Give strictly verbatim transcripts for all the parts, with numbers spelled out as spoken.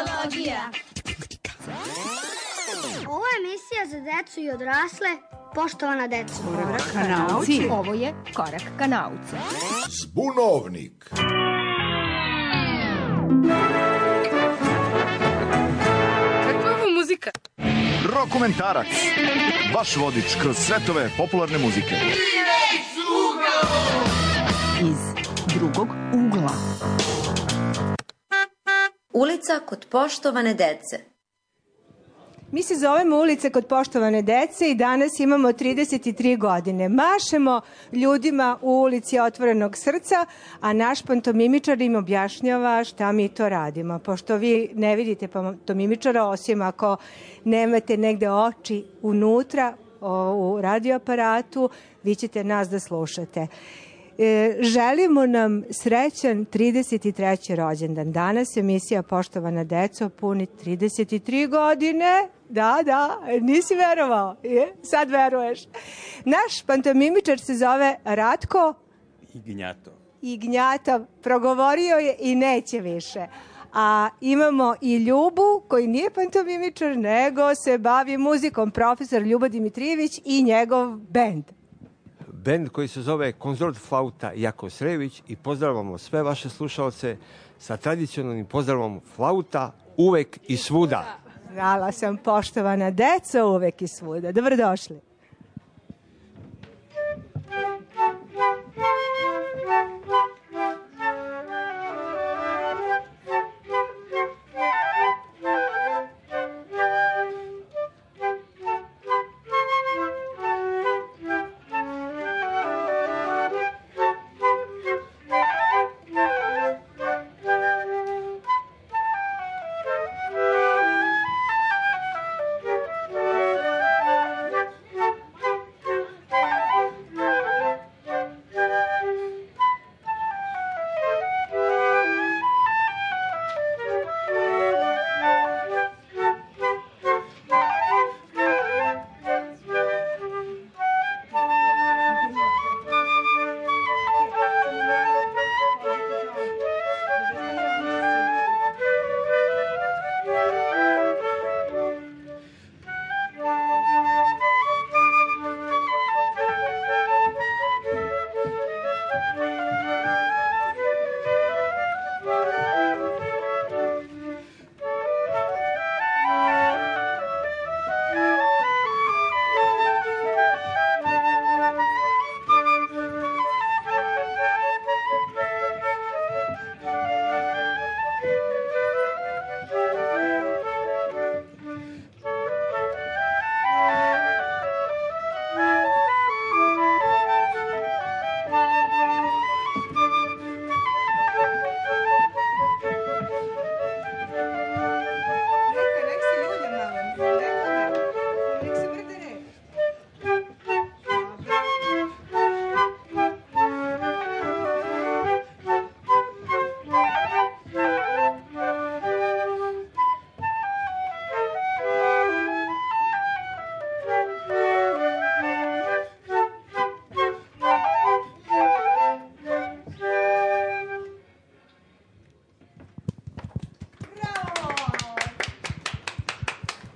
Muzikolođija. Ovo je emisija za decu i odrasle. Poštovana deca. Korak ka nauci. Ovo je Korak ka nauci. Zbunovnik. Kakva je ovo muzika? Rokomentarac. Vaš vodič kroz svetove popularne muzike. Iz drugog ugla. Ulica kod poštovane dece. Mi se zovemo Ulica kod poštovane dece i danas imamo trideset tri godine. Mašemo ljudima u ulici otvorenog srca, a naš pantomimičar im objašnjava šta mi to radimo. Pošto vi ne vidite pantomimičara, osim ako nemate negde oči unutra u radioaparatu, vi ćete nas da slušate. E, želimo nam srećan trideset treći rođendan. Danas emisija Poštovana deco puni trideset tri godine. Da, da, nisi verovao. Je? Sad veruješ. Naš pantomimičar se zove Ratko Ignjato. Ignjatov. Progovorio je i neće više. A imamo i Ljubu, koji nije pantomimičar, nego se bavi muzikom, profesor Ljubo Dimitrijević i njegov bend. Bend koji se zove Konzort flauta Jako Srević i pozdravljamo sve vaše slušalce sa tradicionalnim pozdravom flauta uvek i svuda. Znala sam, poštovana deca, uvek i svuda. Dobrodošli.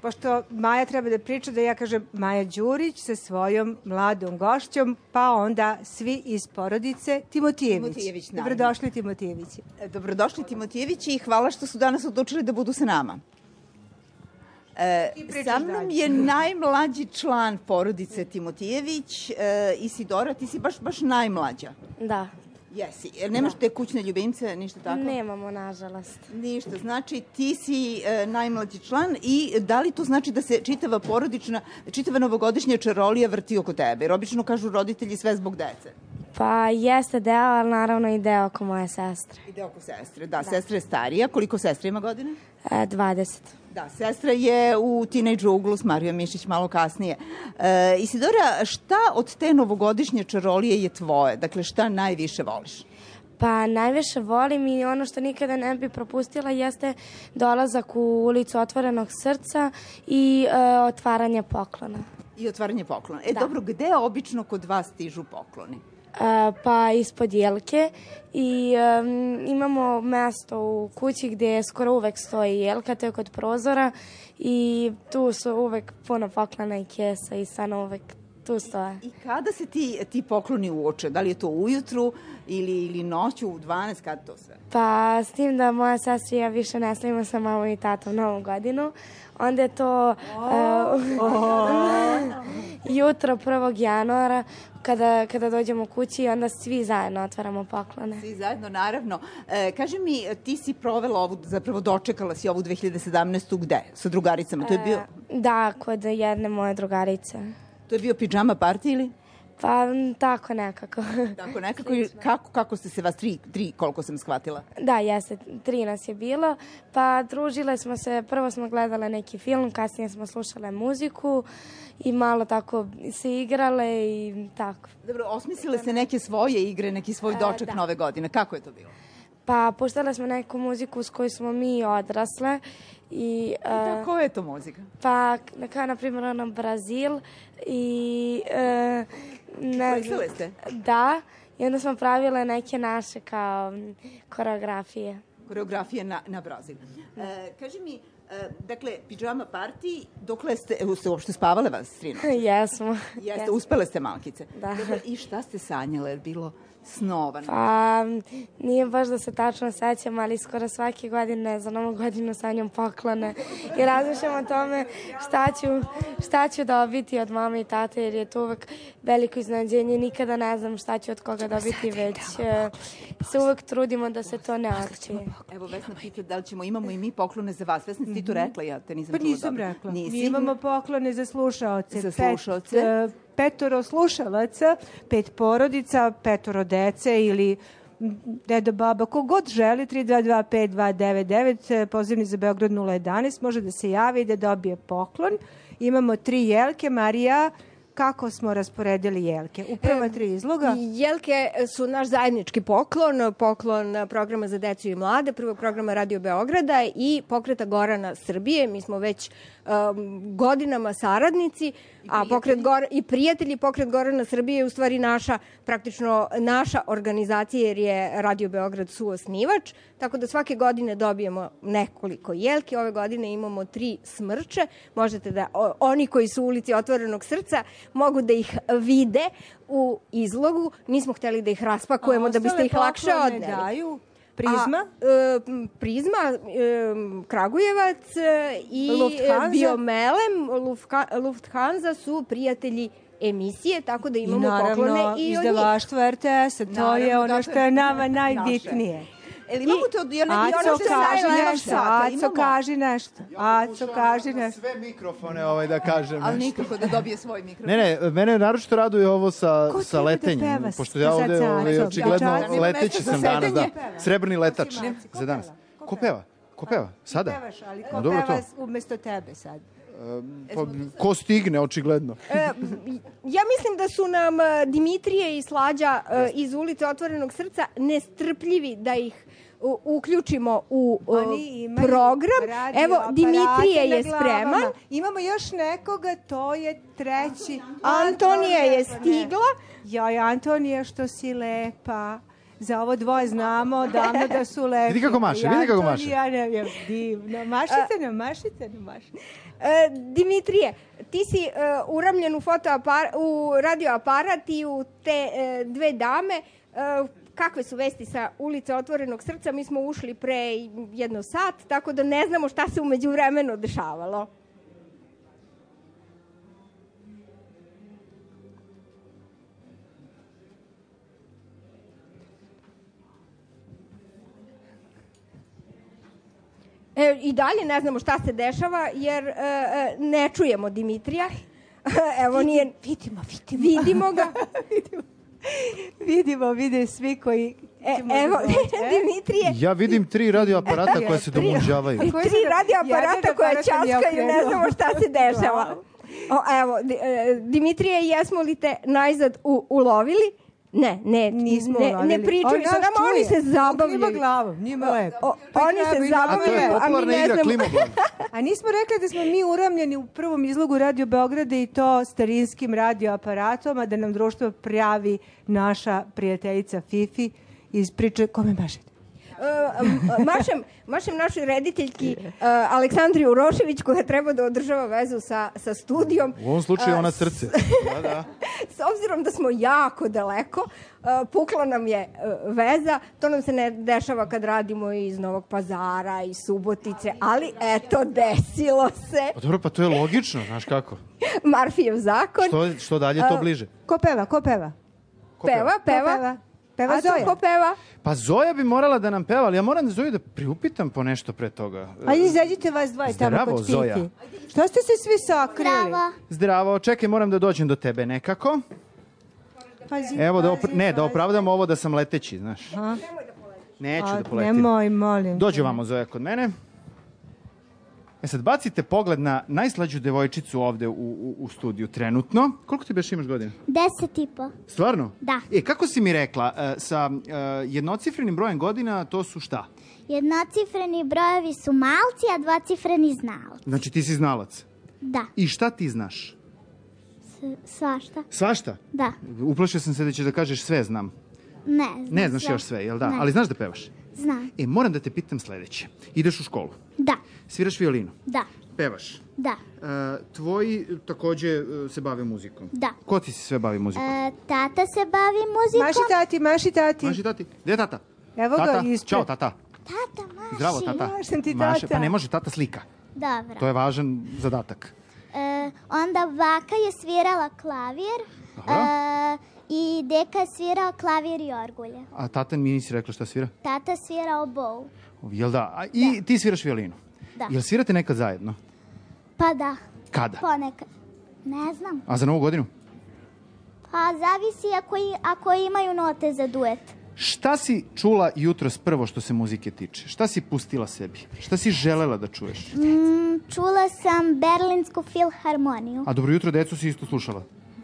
Pošto Maja treba da priča, da ja kažem Maja Đurić sa svojom mladom gošćom, pa onda svi iz porodice Timotijević. Timotijević, naravno. Dobrodošli Timotijevići. Dobrodošli Timotijevići i hvala što su danas odlučili da budu sa nama. E, sa mnom je najmlađi član porodice Timotijević, e, Isidora, ti si baš, baš najmlađa. Da. Jesi, jer nemaš te kućne ljubimce, ništa tako? Nemamo, nažalost. Ništa, znači ti si e, najmlađi član i da li to znači da se čitava porodična, čitava novogodišnja čarolija vrti oko tebe? Jer obično kažu roditelji sve zbog dece. Pa jeste deo, ali naravno i deo oko moje sestre. I deo oko sestre, da, da. Sestra je starija. Koliko sestra ima godine? E, dvadeset. Da, sestra je u Teenage Uglu s Marijom Mišić malo kasnije. E, Isidora, šta od te novogodišnje čarolije je tvoje? Dakle, šta najviše voliš? Pa najviše volim i ono što nikada ne bi propustila jeste dolazak u ulicu otvorenog srca i e, otvaranje poklona. I otvaranje poklona. E, da. Dobro, gde obično kod vas stižu pokloni? pa ispod jelke i um, imamo mesto u kući gdje skoro uvek stoji jelka, to je kod prozora i tu su uvek puno poklona i kesa i stvarno uvek tu stoje. I kada se ti, ti pokloni uoče? Da li je to ujutru ili, ili noću u dvanaest, kada to sve? Pa s tim da moja sestra i ja više ne slavimo sa mamom i tatom Novu godinu, onda je to oh, uh, oh. jutro prvog januara kada, kada dođemo kući i onda svi zajedno otvaramo poklone. Svi zajedno, naravno. E, kaži mi, ti si provela ovu, zapravo dočekala si ovu dve hiljade sedamnaestu gde? Sa drugaricama? To je bio... E, da, kod jedne moje drugarice. To je bio pidžama party ili? Pa tako nekako. Tako nekako i kako, kako ste se vas tri, tri, koliko sam shvatila? Da, jeste, tri nas je bilo. Pa družile smo se, prvo smo gledale neki film, kasnije smo slušale muziku i malo tako se igrale i tako. Dobro, osmislile ste neke svoje igre, neki svoj doček e, Nove godine. Kako je to bilo? Pa puštale smo neku muziku s kojoj smo mi odrasle. I, uh, I tako je to muzika? Pa, kao na primjer ono Brazil i... Uh, Plesale ste? Da, i onda smo pravile neke naše kao koreografije. Koreografije na, na Brazil. E, kaži mi, e, dakle, pidžama party, dokle ste, ste uopšte spavale vas, Strino? Jesmo. Jeste, uspele ste malkice? Da. Dakle, i šta ste sanjale, je bilo snova? Pa, nije baš da se tačno sećam, ali skoro svake godine za Novu godinu sanjam poklone i razmišljam o tome šta ću, šta ću dobiti od mame i tate, jer je to uvek veliko iznenađenje. Nikada ne znam šta ću od koga dobiti, već se uvek trudimo da se to ne otkrije. Evo, Vesna pita da li ćemo, imamo i mi poklone za vas. Vesna, ti to rekla, ja te nisam čula dobro. Pa nisam rekla. Nisi? Mi imamo poklone za slušaoce. Za slušaoce? Pet, petoro slušalaca, pet porodica, petoro dece ili deda, baba, kogod želi, tri dva dva pet dva devet devet, pozivni za Beograd nula jedanaest, može da se javi i da dobije poklon. Imamo tri jelke, Marija, kako smo rasporedili jelke? U prva tri izloga? Jelke su naš zajednički poklon, poklon programa za decu i mlade, prvog programa Radio Beograda i pokreta Gorana Srbije. Mi smo već um, godinama saradnici, a pokret Gor i prijatelji. Pokret Gorana Srbije je u stvari naša, praktično naša organizacija, jer je Radio Beograd suosnivač, tako da svake godine dobijemo nekoliko jelke. Ove godine imamo tri smrče. Možete da, o, oni koji su u ulici Otvorenog srca mogu da ih vide u izlogu. Nismo hteli da ih raspakujemo da biste ih lakše odneli. Daju Prizma? A, e, prizma, e, Kragujevac e, i Lufthansa. Biomelem, Lufthansa su prijatelji emisije, tako da imamo I naravno, poklone i od njih. izdavaštvo R T S-a, to naravno, je ono što je nama najbitnije. Eli imamo te od... Ja ne, Aco, kaži nešto, Aco, kaži nešto. Aco, kaži nešto. Sve mikrofone ovaj, da kažem. Ali nikako da dobije svoj mikrofon. Ne, ne, mene naročito raduje ovo sa, sa letenjem. Da pošto ja ovde ovaj, očigledno leteći sam danas, da. Srebrni letač za danas. Ko peva? Ko peva? Sada? Ko pevaš, ali ko peva umesto tebe sad? Pa, ko stigne, očigledno. E, ja mislim da su nam Dimitrije i Slađa e, iz ulice Otvorenog srca nestrpljivi da ih u, uključimo u program. Evo, Dimitrije je spreman. Imamo još nekoga, to je treći. Antonija je stigla. Joj, Antonija, što si lepa. Za ovo dvoje znamo davno da su lepi. Vidi kako maše, vidi kako maše. Ja ne vjem, divno. Mašite nam, mašite nam, mašite. E, Dimitrije, ti si e, uramljen u, u radioaparat i u te e, dve dame. E, kakve su vesti sa ulice Otvorenog srca? Mi smo ušli pre jedno sat, tako da ne znamo šta se umeđu vremenu dešavalo. E, I dalje ne znamo šta se dešava, jer e, ne čujemo Dimitrija. Evo, nije... Vidimo, vidimo. Vidimo ga. vidimo. Vidimo, vide svi koji... E, evo, Dimitrije... Ja vidim tri radioaparata koja se domunđavaju. Tri radioaparata koja časkaju, ne znamo šta se dešava. O, evo, Dimitrije, jesmo li te najzad u, ulovili? Ne, ne, Nismo ne, ulovili. ne pričaju sa nama, oni se zabavljaju. On klima glavom, njima lepo. Oni se zabavljaju, a mi ne znamo. A nismo rekli da smo mi uramljeni u prvom izlogu Radio Beograda i to starinskim radioaparatom, a da nam društvo pravi naša prijateljica Fifi iz priče Kome mašete? Uh, mašem, mašem našoj rediteljki uh, Aleksandri Urošević koja treba da održava vezu sa, sa studijom. U ovom slučaju ona srce. Da, da. S obzirom da smo jako daleko, uh, pukla nam je uh, veza. To nam se ne dešava kad radimo iz Novog Pazara, iz Subotice, ali eto, desilo se. Pa dobro, pa to je logično, znaš kako. Marfijev zakon. Što, što dalje, to bliže. Ko peva, ko peva? Ko peva, peva. Ko peva? Peva A Zoja. to ko peva? Pa Zoja bi morala da nam peva, ali ja moram da Zoju da priupitam po nešto pre toga. Ajde, izađite vas dvoje tamo Zdravo, kod Fifi. Zoja. Što ste se svi sakrili? Zdravo. Zdravo, čekaj, moram da dođem do tebe nekako. Pazi, Evo, da opra- pazi, ne, da pazi. opravdam ovo da sam leteći, znaš. A? Neću A, da poletim. Nemoj, molim. Dođe vamo, Zoja, kod mene. E sad, bacite pogled na najslađu devojčicu ovde u, u, u studiju trenutno. Koliko ti beš imaš godina? Deset i po. Stvarno? Da. E, kako si mi rekla, e, sa e, jednocifrenim brojem godina to su šta? Jednocifreni brojevi su malci, a dvocifreni znalci. Znači ti si znalac. Da. I šta ti znaš? S- svašta. Svašta? Da. Uplašio sam se da ćeš da kažeš sve znam. Ne znam. Ne znaš sve. još sve, jel da? Ne. Ali znaš da pevaš? Znam. E, moram da te pitam sledeće. Ideš u školu, Da. sviraš violinu, Da. pevaš. Da. E, tvoji takođe e, se bave muzikom. Da. Ko ti se sve bavi muzikom? E, tata se bavi muzikom. Maši tati, maši tati. Maši tati. Gde je tata? Evo ga Tata, ispred. čao tata. Tata maši. Zdravo tata. Mašem ti Maše, tata. pa ne može tata slika. Dobro. To je važan zadatak. E, onda baka je svirala klavir. E, I deka je svirao klavir i orgulje. A tata mi nisi rekla šta svira? Tata svira obovu. Jel da? A, I ti sviraš violinu? Da. Jel svirate nekad zajedno? Pa da. Kada? Ponekad. Ne znam. A za novu godinu? Pa zavisi ako, i, ako imaju note za duet. Šta si čula jutros prvo što se muzike tiče? Šta si pustila sebi? Šta si želela da čuješ? Mm, čula sam Berlinsku filharmoniju. A dobro jutro, decu si isto slušala?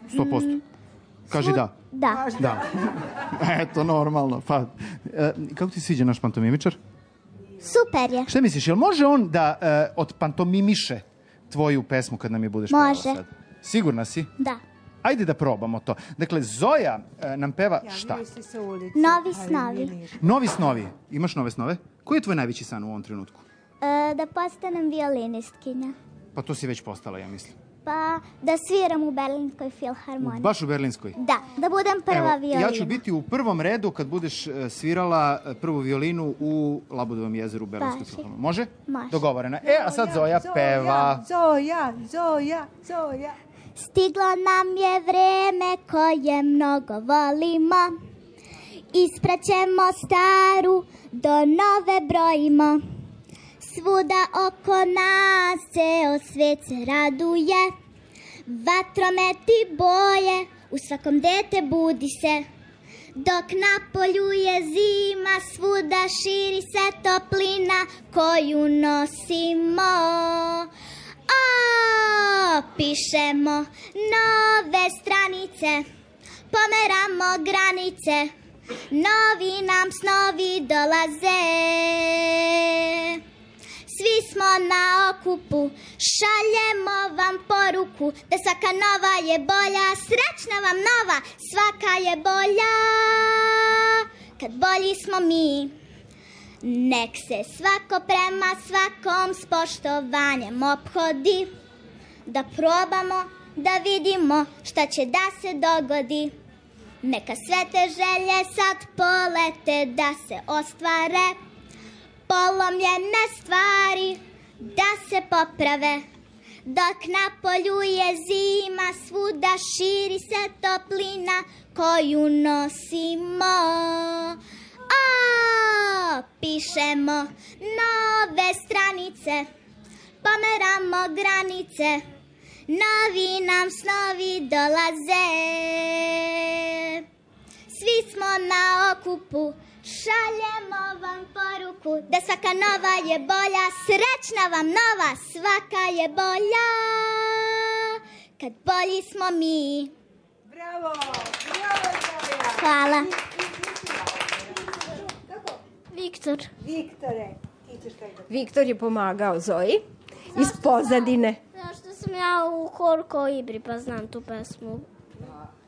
sto posto. Kaži da. Da. Da. Eto, normalno. Pa, e, kako ti se sviđa naš pantomimičar? Super je. Šta misliš, jel može on da e, od pantomimiše tvoju pesmu kad nam je budeš pevala Može. sad? Sigurna si? Da. Ajde da probamo to. Dakle, Zoja e, nam peva šta? Novi snovi. Novi snovi. Imaš nove snove? Koji je tvoj najveći san u ovom trenutku? E, da postanem violinistkinja. Pa to si već postala, ja mislim. Pa da sviram u Berlinskoj filharmoniji. Baš u Berlinskoj? Da, da budem prva violina. Ja ću biti u prvom redu kad budeš e, svirala e, prvu violinu u Labudovom jezeru u Berlinskoj Baš je. filharmoniji. Može? Može. Dogovoreno. E, a sad Zoja peva. Zoja, Zoja, Zoja. Stiglo nam je vreme koje mnogo volimo. Ispraćemo staru do nove brojimo. Svuda oko nas ceo svet se raduje. Vatrometi boje, u svakom dete budi se. Dok na polju je zima, svuda širi se toplina koju nosimo. O, pišemo nove stranice, pomeramo granice, novi nam snovi dolaze. Svi smo na okupu, šaljemo vam poruku da svaka nova je bolja, srećna vam nova, svaka je bolja. Kad bolji smo mi, nek se svako prema svakom s poštovanjem ophodi. Da probamo, da vidimo šta će da se dogodi. Neka sve te želje sad polete da se ostvare. Polomljene stvari da se poprave. Dok na polju je zima, svuda širi se toplina koju nosimo. O, pišemo nove stranice, pomeramo granice, novi nam snovi dolaze. Svi smo na okupu, šaljemo vam poruku da svaka nova je bolja, srećna vam nova, svaka je bolja. Kad bolji smo mi. Bravo, bravo Zoja. Hvala. Viktor. Viktore, ti ćeš kaj da... Viktor je pomagao Zoji iz pozadine. Zašto sam ja u horu Kolibri, pa znam tu pesmu.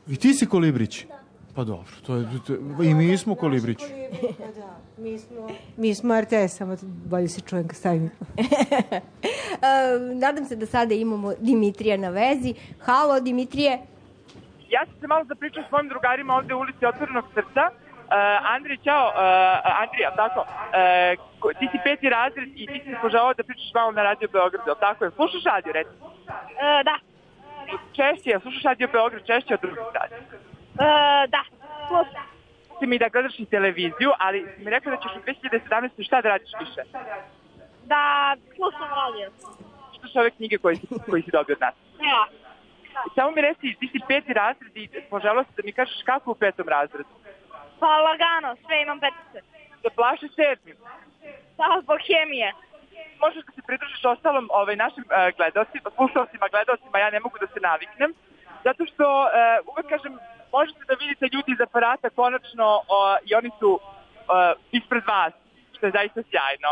I ti si Kolibrić? Da. Pa dobro, to je, to, i mi smo Kolibrić. Pa da, mi smo... Mi smo R T S, samo bolje se čujem kad stavim. Nadam se da sada imamo Dimitrija na vezi. Halo, Dimitrije. Ja sam se malo zapričao s svojim drugarima ovde u ulici Otvorenog srca. Uh, Andrija, čao, uh, Andrija, tako, uh, ti si peti razred i ti si se poželao da pričaš malo na Radio Beogradu, tako je? Slušaš radio, reci? Uh, da. Češće, slušaš Radio Beograd češće od drugih radio? Uh, da, slušam. Ti mi da gledaš i televiziju, ali si mi rekao da ćeš u dve hiljade sedamnaeste. šta da radiš više? Da, slušam radio. Čitaš ove knjige koje si, koji si dobio od nas? Ja. Samo mi reci, ti si peti razred i poželao si da mi kažeš kako u petom razredu? Pa lagano, sve imam petice. Da plaši sedmim? Da, zbog hemije. Možeš da se pridružiš ostalom ovaj, našim uh, gledalcima, slušalcima, gledalcima, ja ne mogu da se naviknem, zato što uh, uvek kažem, možete da vidite ljudi iz aparata konačno uh, i oni su uh, ispred vas, što je zaista sjajno.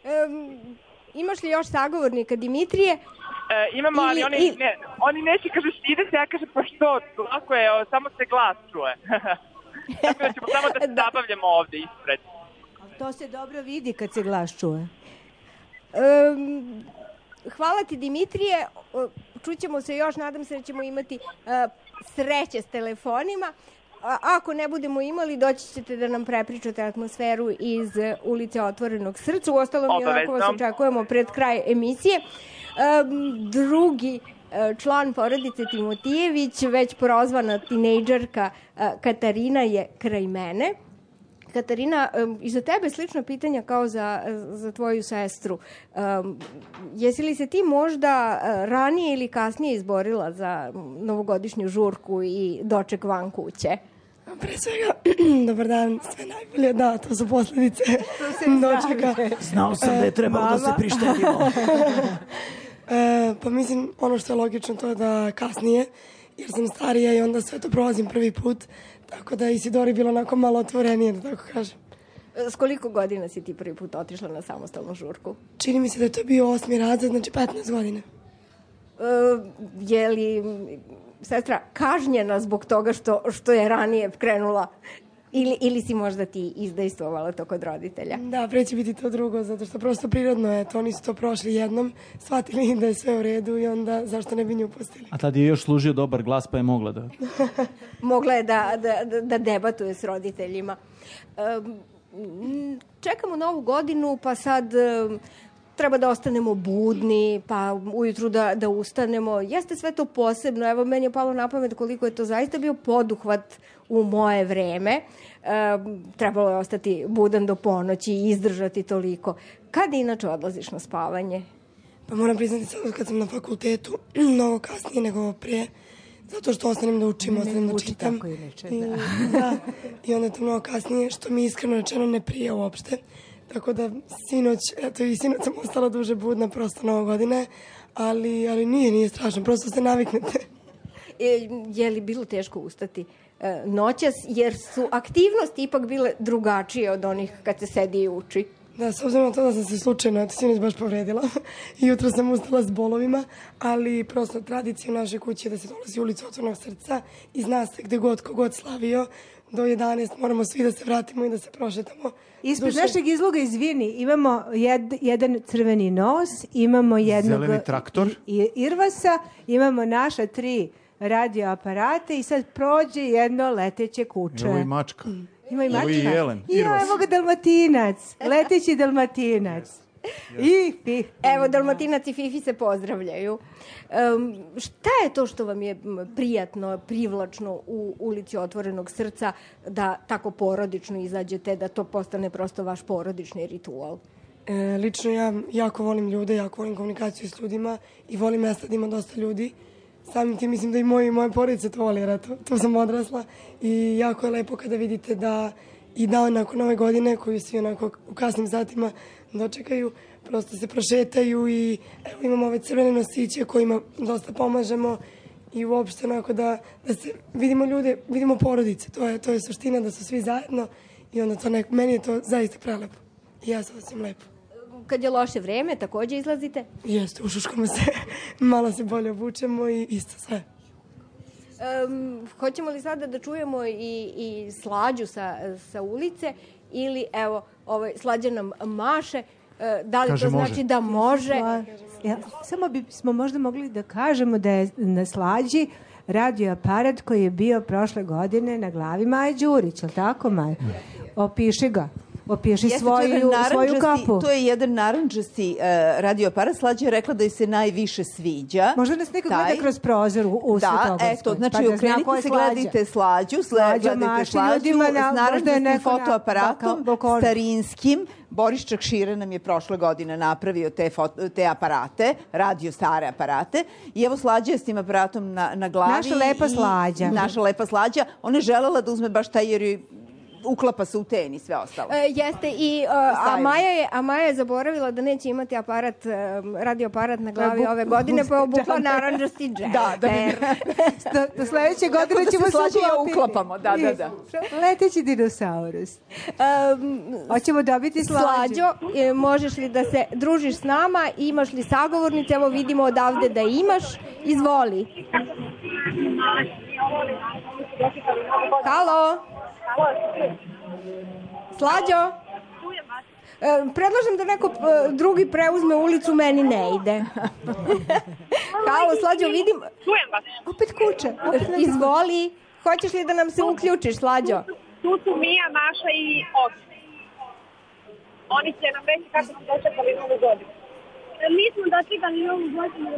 Um, imaš li još sagovornika, Dimitrije? E, imamo, ali oni, i... ne, oni neće, kažeš, ide se, ja kažem, pa što, lako je, o, samo se glas čuje. Tako da ćemo samo da se zabavljamo ovde ispred. To se dobro vidi kad se glas čuje. Um, hvala ti, Dimitrije. Čućemo se još, nadam se da ćemo imati uh, sreće s telefonima. A ako ne budemo imali, doći ćete da nam prepričate atmosferu iz ulice Otvorenog srca. Uostalom, i onako vas očekujemo pred kraj emisije. Um, drugi uh, član porodice Timotijević, već prozvana tinejdžerka uh, Katarina je kraj mene. Katarina, um, i za tebe slično pitanja kao za, za tvoju sestru. Um, jesi li se ti možda uh, ranije ili kasnije izborila za novogodišnju žurku i doček van kuće? Pre svega, dobar dan, sve najbolje, da, to su posledice dočeka. Znao sam da je trebalo da se prištedimo. e, pa mislim, ono što je logično to je da kasnije, jer sam starija i onda sve to prolazim prvi put, tako da Isidori bilo onako malo otvorenije, da tako kažem. S koliko godina si ti prvi put otišla na samostalnu žurku? Čini mi se da je to bio osmi razred, znači petnaest godina. E, je li sestra kažnjena zbog toga što, što je ranije krenula ili, ili si možda ti izdejstvovala to kod roditelja? Da, pre će biti to drugo, zato što prosto prirodno je to, oni su to prošli jednom, shvatili da je sve u redu i onda zašto ne bi nju pustili. A tad je još služio dobar glas pa je mogla da... mogla je da, da, da debatuje s roditeljima. Um, čekamo novu godinu, pa sad... Um, treba da ostanemo budni, pa ujutru da, da ustanemo. Jeste sve to posebno. Evo, meni je palo na pamet koliko je to zaista bio poduhvat u moje vreme. E, trebalo je ostati budan do ponoći i izdržati toliko. Kada inače odlaziš na spavanje? Pa moram priznati sad kad sam na fakultetu, mnogo kasnije nego prije, zato što ostanem da učim, ne, ostanem ne da čitam. Tako inače, I, da. da. I onda je to mnogo kasnije, što mi iskreno rečeno ne prije uopšte. Tako da sinoć, eto i sinoć sam ostala duže budna, prosto novo godine, ali, ali nije, nije strašno, prosto se naviknete. E, je li bilo teško ustati e, noćas, jer su aktivnosti ipak bile drugačije od onih kad se sedi i uči? Da, s obzirom na to da sam se slučajno, eto, sinoć baš povredila i jutro sam ustala s bolovima, ali prosto tradicija u našoj kući je da se dolazi u ulicu Otvorenog srca i zna se gde god, kogod slavio, do jedanaest moramo svi da se vratimo i da se prošetamo. Ispred Duše... našeg izloga, izvini, imamo jed, jedan crveni nos, imamo jednog zeleni traktor, i, Irvasa, imamo naša tri radio aparate i sad prođe jedno leteće kuće. Evo i mačka. Ima i mačka. Evo i jelen. I evo ga dalmatinac, leteći dalmatinac. I Fifi. Evo, dalmatinac i Fifi se pozdravljaju. Um, šta je to što vam je prijatno, privlačno u ulici Otvorenog srca da tako porodično izađete, da to postane prosto vaš porodični ritual? E, lično ja jako volim ljude, jako volim komunikaciju s ljudima i volim mesta da ima dosta ljudi. Samim tim mislim da i moje, moje porodice to voli, jer eto, tu sam odrasla i jako je lepo kada vidite da i dan nakon nove godine, koju svi onako u kasnim satima dočekaju, prosto se prošetaju i evo imamo ove crvene nosiće kojima dosta pomažemo i uopšte onako da, da se vidimo ljude, vidimo porodice, to je, to je suština da su svi zajedno i onda to nek, meni je to zaista prelepo i ja se osjećam lepo. Kad je loše vreme, takođe izlazite? Jeste, ušuškamo se, malo se bolje obučemo i isto sve. Um, hoćemo li sada da čujemo i, i Slađu sa, sa ulice ili evo, ovaj, Slađa nam maše, uh, da li Kaže to znači može. da može? Ja, samo bismo možda mogli da kažemo da je na Slađi radio aparat koji je bio prošle godine na glavi Maje Đurić, ali tako Maja? Opiši ga. Opiši Jeste, svoju, to je svoju narandžasti- kapu. To je jedan narandžasti uh, radio aparat. Slađa je rekla da joj se najviše sviđa. Možda nas neko Taj. gleda kroz prozor u, u Da, Svetoborskoj, eto, znači pa da zna okrenite ko je se, Slađa. gledajte Slađu, sle- Slađa gledajte maši Slađu ljudima na- s možda je narandžastim neko na fotoaparatom, balkonu. starinskim. Boris Čakšira nam je prošle godine napravio te, foto, te aparate, radio stare aparate. I evo Slađa je s tim aparatom na, na glavi. Naša lepa i- Slađa. Naša lepa Slađa. Ona je želela da uzme baš taj jer joj uklapa se u ten i sve ostalo. E, jeste, i, uh, a, Maja je, a Maja je zaboravila da neće imati aparat, um, radio aparat na glavi Bu- ove godine, pa je obukla džemper. narandžasti džemper. Da, da bi- Do, do sledeće Tako godine da ćemo se Slađa i ja uklopiti. uklapamo, da, da, da. Leteći dinosaurus. Um, Hoćemo dobiti Slađu. Slađo, e, možeš li da se družiš s nama? Imaš li sagovornice? Evo vidimo odavde da imaš. Izvoli. Halo? Slađo? E, predlažem da neko e, drugi preuzme ulicu, meni ne ide. Halo, Slađo, vidim... Čujem vas. Opet kuće. Izvoli. Hoćeš li da nam se uključiš, Slađo? Tu su Mija, Maša i Ogi. Oni će nam reći kako su dočekali novu godinu. Mi smo dočekali novu godinu.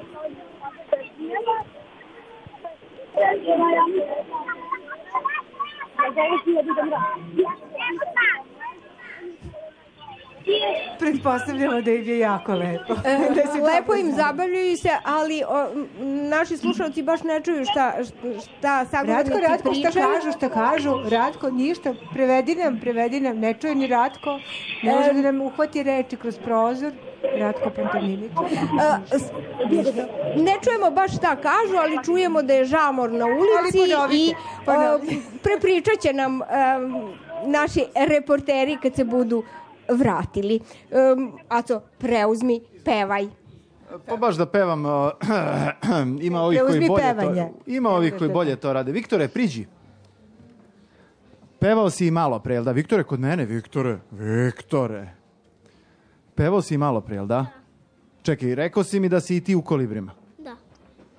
Pretpostavljamo da im je jako lepo. E, Da se lepo dobro im zna. zabavljaju se, ali o, m, naši slušalci baš ne čuju šta, šta sagovornici Ratko, Ratko, šta pričaju. kažu, šta kažu? Ratko, ništa. Prevedi nam, prevedi nam. Ne čuje ni Ratko. Ne može da nam uhvati reči kroz prozor. Ratko pantomimič. E, s- ne čujemo baš šta kažu, ali čujemo da je žamor na ulici Ali ponovite, i ponovite. e, prepričat će nam e, naši reporteri kad se budu vratili. Um, Aco, preuzmi, pevaj. Pa baš da pevam, uh, ima ovih koji Preuzmi bolje pevanje. to, ima ovih koji bolje to rade. Viktore, priđi. Pevao si i malo pre, jel da? Viktore, kod mene, Viktore. Viktore. Pevao si i malo pre, jel da? Čekaj, rekao si mi da si i ti u Kolibrima. Da.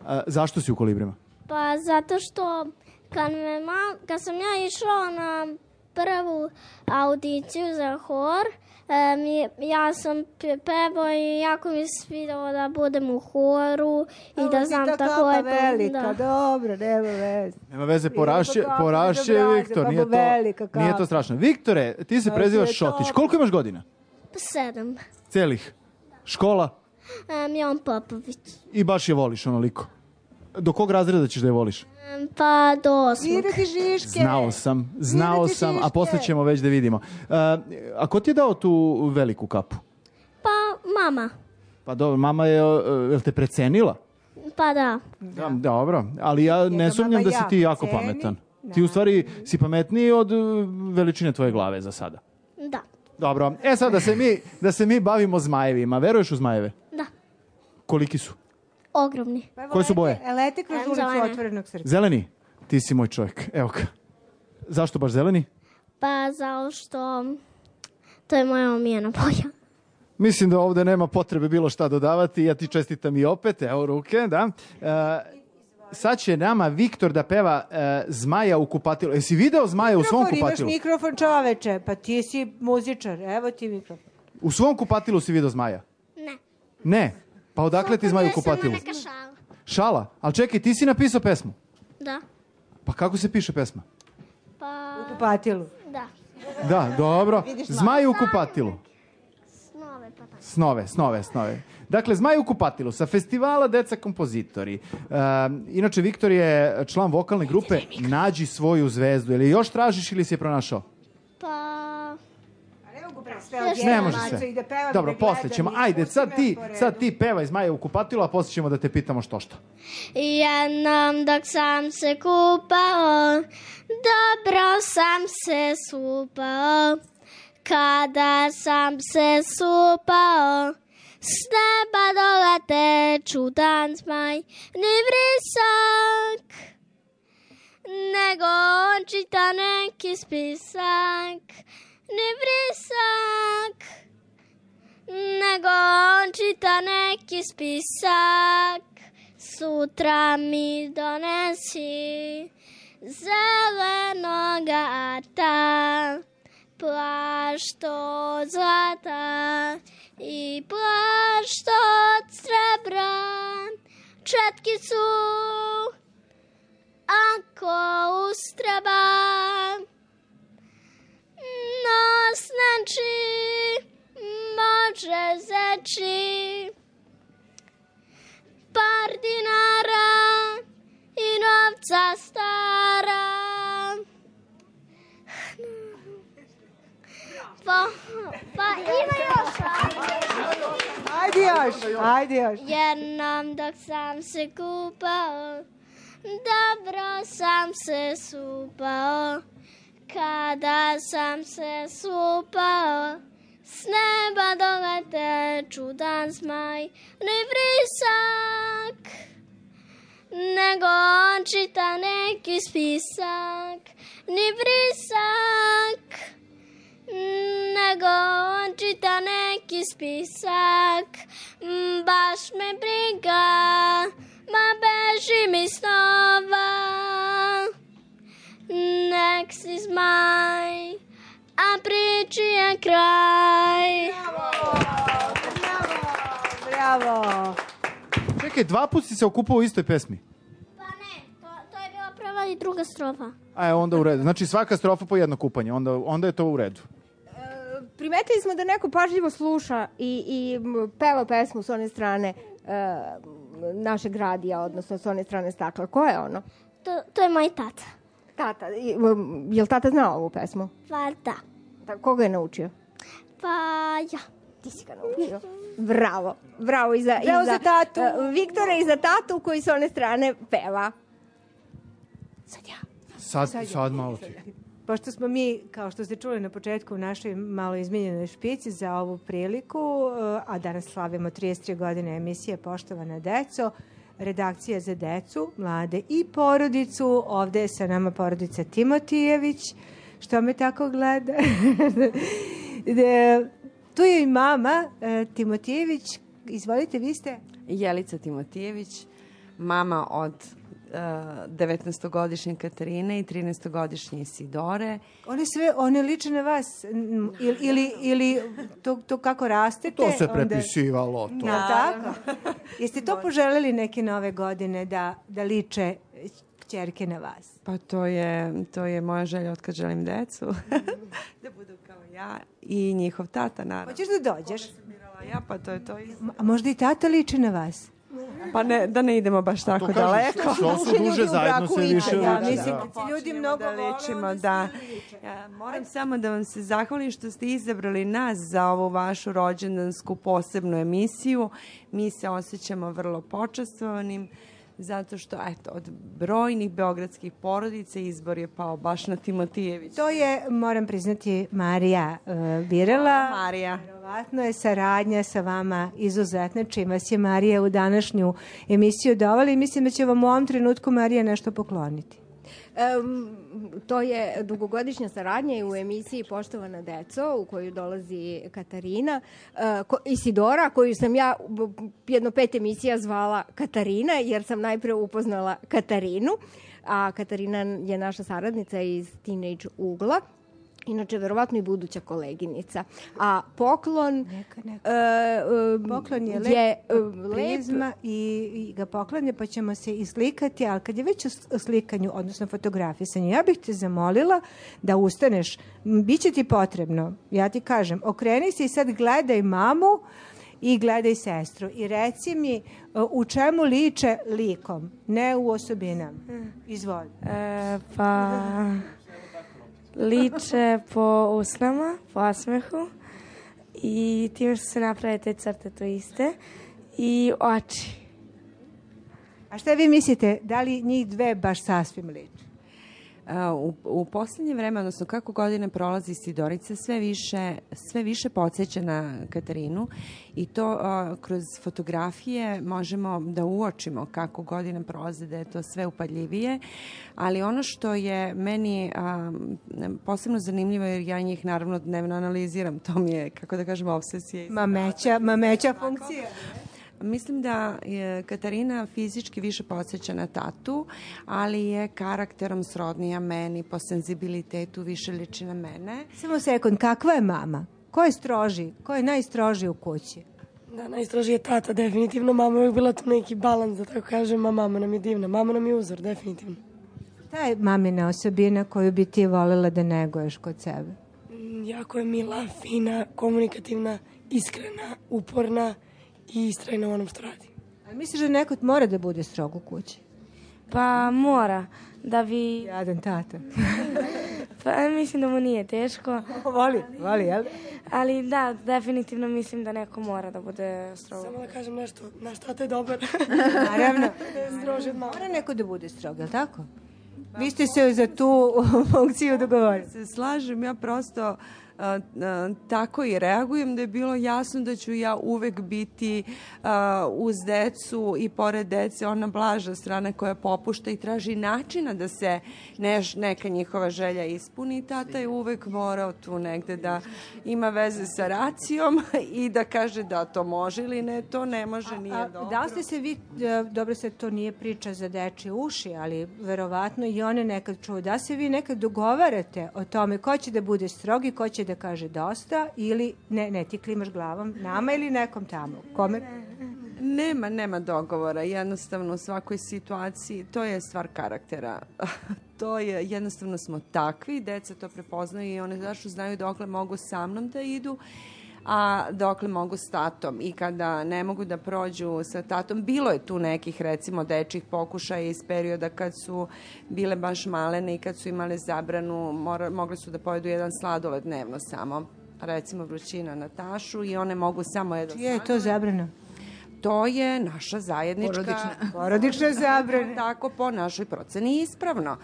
A, zašto si u Kolibrima? Pa zato što kad, me ma, kad sam ja išla na prvu audiciju za hor, e, mi, ja sam pe- pevao i jako mi se svidalo da budem u horu i da znam tako lepo. lepo. Velika, Da. dobro, nema veze. Nema veze, Idemo porašće, po kapu, porašće idemo Viktor, braze, nije babo velika to, nije to kapa. strašno. Viktore, ti se A, prezivaš sve to. Šotić. Koliko imaš godina? Pa sedam. Celih. Škola? E, Milan Popović. I baš je voliš onoliko. Do kog razreda ćeš da je voliš? E, pa do osmog. Svira ti žiške. Znao sam, znao Svira ti sam, a šiške. posle ćemo već da vidimo. Uh, a ko ti je dao tu veliku kapu? Pa mama. Pa dobro, mama je, uh, jel te precenila? Pa da. Da. Dobro, ali ja ne ga sumnjam mama da si ti jako jako ceni. pametan. Ti u stvari si pametniji od uh, veličine tvoje glave za sada. Da. Dobro, e sad da se mi, da se mi bavimo zmajevima. Veruješ u zmajeve? Da. Koliki su? Ogromni. Koje su boje? E, lete kroz Em, ulicu zelene. otvorenog srca. Zeleni? Ti si moj čovjek. Evo ga. Zašto baš zeleni? Pa zato što to je moja omiljena boja. Mislim da ovde nema potrebe bilo šta dodavati. Ja ti čestitam i opet. Evo ruke, da. E, sad će nama Viktor da peva e, Zmaja u kupatilu. Jesi video Zmaja u svom Mikrofon, imaš kupatilu? mikrofon, čoveče. Pa ti si muzičar. Evo ti mikrofon. U svom kupatilu si video Zmaja? Ne. Ne. Pa odakle ti Zmaj u kupatilu? Neka šala. Šala? Ali čekaj, ti si napisao pesmu. Da. Pa kako se piše pesma? Pa... U kupatilu. Da. Da, dobro. Vidiš Zmaj u kupatilu. Snove pa tako. Snove, snove, snove. Dakle, Zmaj u kupatilu sa festivala Deca kompozitori. Um, inače, Viktor je član vokalne grupe Nađi svoju zvezdu. Ili još tražiš ili si je pronašao? Pa... Ne može se. Dobro, posle ćemo. Ajde, sad ti, sad ti pevaj Zmaja u kupatilu, a posle ćemo da te pitamo što što. Jednom dok sam se kupao, dobro sam se supao. Kada sam se supao, s neba dolete čudan zmaj, ni vrisak, nego on čita neki spisak, ni vrisak, nego on čita neki spisak. Sutra mi donesi zelenoga ata, plašt od zlata i plašt od srebra, četkicu ako ustreba. Nos neči može zeči, par dinara i novca stara. Pa, pa ima još. Ajde još, ajde još. Jednom dok sam se kupao, dobro sam se supao. Kada sam se supao, s neba dolete čudan zmaj, ni vrisak, nego on čita neki spisak, ni vrisak, nego on čita neki spisak. Baš me briga, ma beži mi snova, nek si zmaj, a priči je kraj. Bravo! Čekaj, dva put si se okupao u istoj pesmi? Pa ne, to, to je bila prva i druga strofa. A, onda u redu. Znači svaka strofa po jedno kupanje, onda, onda je to u redu. Primetili smo da neko pažljivo sluša i, i peva pesmu s one strane uh, našeg radija, odnosno s one strane stakla. Ko je ono? To, to je moj tata. Tata. Je li tata znao ovu pesmu? Pa da. Da, koga je naučio? Pa ja. Ti si ga naučio. Bravo. Bravo i za, Bravo i za, za tatu. Uh, Viktora i za tatu koji s one strane peva. Sad ja. Sad, sad, sad malo ti. Pošto smo mi, kao što ste čuli na početku, u našoj malo izmenjenoj špici za ovu priliku, a danas slavimo trideset tri godine emisije Poštovana deco, redakcija za decu, mlade i porodicu. Ovde je sa nama porodica Timotijević. Što me tako gleda? Tu je i mama Timotijević. Izvolite, vi ste? Jelica Timotijević, mama od devetnaestogodišnje Katarine i trinaestogodišnje Isidore. One sve, one liče na vas ili, ili, ili to, to kako rastete? To se prepisivalo. To. Da, tako? Jeste to poželjeli neke nove godine da, da liče kćerke na vas? Pa to je, to je moja želja od kad želim decu. Da budu kao ja i njihov tata, naravno. Hoćeš da dođeš? Ja, pa to je to. A možda i tata liči na vas? Pa ne, da ne idemo baš tako kažem, daleko. Što su duže zajedno se više liče. Ja, mislim da ti ljudi mnogo da ličimo, da. Ja, moram samo da vam se zahvalim što ste izabrali nas za ovu vašu rođendansku posebnu emisiju. Mi se osjećamo vrlo počastvovanim, zato što, eto, od brojnih beogradskih porodica izbor je pao baš na Timotijević. To je, moram priznati, Marija uh, birala. Marija. Verovatno je saradnja sa vama izuzetna, čim vas je Marija u današnju emisiju dovela i mislim da će vam u ovom trenutku Marija nešto pokloniti. Um, to je dugogodišnja saradnja i u emisiji Poštovana deco, u koju dolazi Katarina, uh, ko, Isidora, koju sam ja jedno pet emisija zvala Katarina, jer sam najpre upoznala Katarinu, a Katarina je naša saradnica iz Teenage Ugla. Inače, verovatno i buduća koleginica. A poklon... Neka, neka. Uh, uh, poklon je, je lep, prizma i, i ga poklanja, pa ćemo se islikati, ali kad je već o slikanju, odnosno fotografisanju, ja bih te zamolila da ustaneš. Biće ti potrebno, ja ti kažem, okreni se i sad gledaj mamu i gledaj sestru i reci mi u čemu liče likom, ne u osobinama. Izvoli. E, pa... Liče po usnama, po osmehu, i tim što se naprave te crte to iste i oči. A šta vi mislite, da li njih dve baš sasvim liče? U, u posljednje vreme, odnosno kako godine prolazi, Sidorica sve više, sve više podsjeća na Katarinu i to uh, kroz fotografije možemo da uočimo kako godine prolaze, da je to sve upadljivije, ali ono što je meni uh, posebno zanimljivo, jer ja njih naravno dnevno analiziram, to mi je, kako da kažem, obsesija. Mameća, mameća funkcija. Mislim da je Katarina fizički više podsjeća na tatu, ali je karakterom srodnija meni, po senzibilitetu više liči na mene. Samo sekund, kakva je mama? Ko je stroži? Ko je najstroži u kući? Da, najstroži je tata, definitivno. Mama je uvijek bila tu neki balans, da tako kažem, a mama nam je divna. Mama nam je uzor, definitivno. Šta je mamina osobina koju bi ti voljela da neguješ kod sebe? Jako je mila, fina, komunikativna, iskrena, uporna i istrajna u onom što radi. A misliš da neko mora da bude strog u kući? Pa mora, da bi... Jadan tata. Pa mislim da mu nije teško. Voli, voli, jel? Ali da, definitivno mislim da neko mora da bude strog. Samo da kažem nešto, naš tata je dobar. Naravno. Stroži od mama. Mora neko da bude strog, jel tako? Vi ste se za tu funkciju dogovorili. Se slažem, ja prosto uh, uh, tako i reagujem da je bilo jasno da ću ja uvek biti uh, uz decu i pored dece ona blaža strana koja popušta i traži načina da se neš, neka njihova želja ispuni. Tata je uvek morao tu negde da ima veze sa racijom i da kaže da to može ili ne, to ne može, nije a, dobro. Da li ste se vi, dobro se to nije priča za dečje uši, ali verovatno i one nekad čuju, da se vi nekad dogovarate o tome ko će da bude strog i ko će da kaže dosta ili ne, ne, ti klimaš glavom, nama ili nekom tamo? Kome? Nema, nema dogovora. Jednostavno u svakoj situaciji, to je stvar karaktera. To je, jednostavno smo takvi, deca to prepoznaju i one zašto znaju dokle mogu sa mnom da idu, a dokle mogu s tatom. I kada ne mogu da prođu sa tatom, bilo je tu nekih, recimo, dečjih pokušaja iz perioda kad su bile baš malene i kad su imale zabranu, mora, mogli su da pojedu jedan sladoled dnevno samo, recimo vrućina na tašu i one mogu samo jedan sladoled. Čija je to zabrana? To je naša zajednička... Porodična. Porodična zabrana. Tako po našoj proceni ispravno.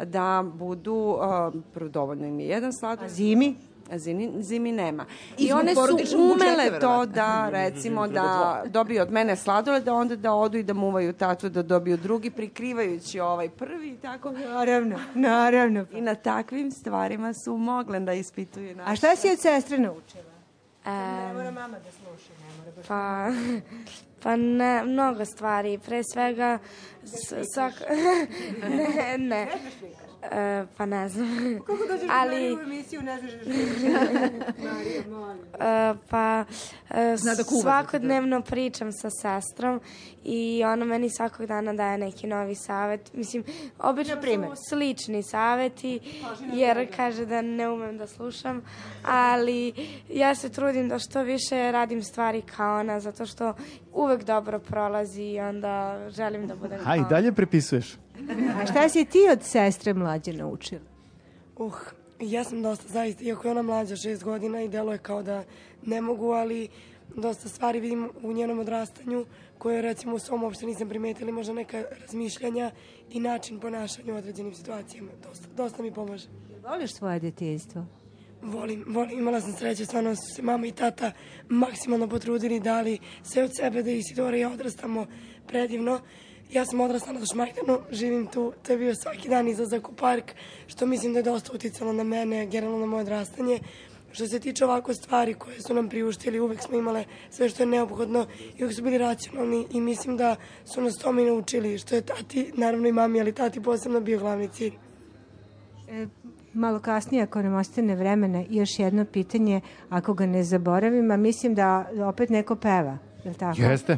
Da budu, uh, dovoljno im je jedan sladoled. A zimi? Zimi, zimi nema. I, I one su umele to da, recimo, da dobiju od mene sladoled, da onda da odu i da muvaju tatu, da dobiju drugi, prikrivajući ovaj prvi i tako. Naravno, naravno. I na takvim stvarima su mogle da ispituju naše. A šta si od sestre naučila? Um, ne mora mama da sluša, ne mora baš. Pa, pa ne, mnogo stvari. Pre svega, svak... ne, ne. E, pa ne znam. Kako dođeš ali... Mariju u emisiju, ne znaš Marija, molim. E, pa e, da svakodnevno pričam sa sestrom i ona meni svakog dana daje neki novi savjet. Mislim, obično su slični savjeti, jer kaže da ne umem da slušam, ali ja se trudim da što više radim stvari kao ona, zato što uvek dobro prolazi i onda želim da budem kao ona. A i dalje prepisuješ? A šta si ti od sestre mlađe naučila? Uh, ja sam dosta, zaista, iako je ona mlađa šest godina i deluje kao da ne mogu, ali dosta stvari vidim u njenom odrastanju koje, recimo, u svom uopšte nisam primetila, možda neka razmišljanja i način ponašanja u određenim situacijama. Dosta, dosta mi pomaže. Voliš svoje djetinjstvo? Volim, volim. Imala sam sreće, stvarno su se mama i tata maksimalno potrudili, dali sve od sebe da Isidora i ja odrastamo predivno. Ja sam odrasla na Šmajdanu, živim tu, to je bio svaki dan izlazak u park, što mislim da je dosta uticalo na mene, generalno na moje odrastanje. Što se tiče ovako stvari koje su nam priuštili, uvek smo imale sve što je neophodno i uvek su bili racionalni i mislim da su nas tome i naučili, što je tati, naravno i mami, ali tati posebno bio glavni cilj. E, malo kasnije, ako nam ostane vremena, još jedno pitanje, ako ga ne zaboravim, a mislim da opet neko peva, je li tako? Jeste.